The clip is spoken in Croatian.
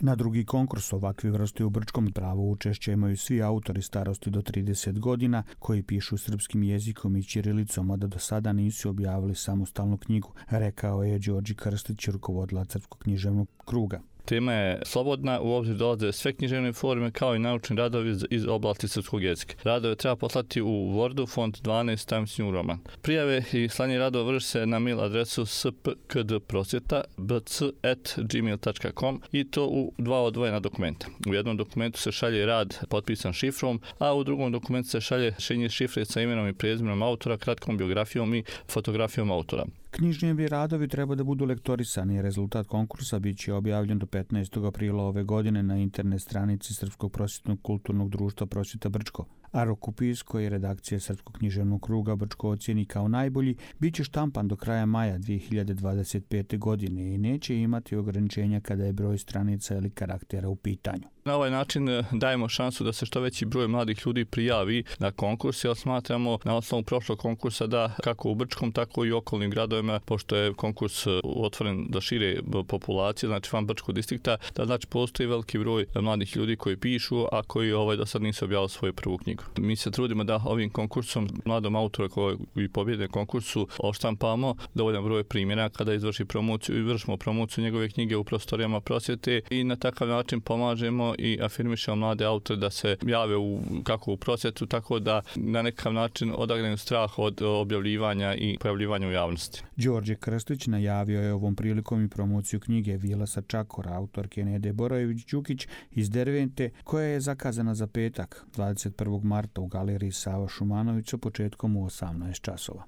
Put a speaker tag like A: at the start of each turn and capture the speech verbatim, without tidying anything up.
A: Na drugi konkurs ovakve vrste u Brčkom pravo učešća imaju svi autori starosti do trideset godina koji pišu srpskim jezikom i ćirilicom, a da do sada nisu objavili samostalnu knjigu, rekao je Đorđe Krstić, rukovodilac Srpskog književnog kruga.
B: Tema je slobodna, u obzir dolaze sve književne forme kao i naučni radovi iz oblasti srpskog jezika. Radove treba poslati u Wordu, font dvanaest Times New Roman. Prijave i slanje radova vrši se na mail adresu s p k d prosvjeta b c at gmail dot com i to u dva odvojena dokumenta. U jednom dokumentu se šalje rad potpisan šifrom, a u drugom dokumentu se šalje rješenje šifre sa imenom i prezimenom autora, kratkom biografijom i fotografijom autora.
A: Književni radovi treba da budu lektorisani. Rezultat konkursa bit će objavljen do petnaestog aprila ove godine na internet stranici Srpskog prosvjetnog kulturnog društva Prosvjeta Brčko. A rukopis koji redakcija Srpskog književnog kruga Brčko ocijeni kao najbolji bit će štampan do kraja maja dvije hiljade dvadeset pete. godine i neće imati ograničenja kada je broj stranica ili karaktera u pitanju.
B: Na ovaj način dajemo šansu da se što veći broj mladih ljudi prijavi na konkurs, jer smatramo na osnovu prošlog konkursa da kako u Brčkom, tako i u okolnim gradovima, pošto je konkurs otvoren da šire populacije, znači van Brčkog distrikta, da znači postoji veliki broj mladih ljudi koji pišu, a koji ovaj do sad nisu objavili svoju prvu knjigu. Mi se trudimo da ovim konkursom mladom autoru koji pobjede konkursu oštampamo dovoljan broj primjera kada izvrši promociju i vršimo promociju njegove knjige u prostorijama prosvjete i na takav način pomažemo i afirmišemo mlade autore da se jave u, kako u prosvjetu, tako da na nekakav način odagnaju strah od objavljivanja i pojavljivanja u javnosti.
A: Đorđe Krstić najavio je ovom prilikom i promociju knjige Vila sa Čakora, autorke Nede Borojević-Đukić iz Dervente, koja je zakazana za petak, dvadeset prvog marta u galeriji Sava Šumanovića početkom u osamnaest časova.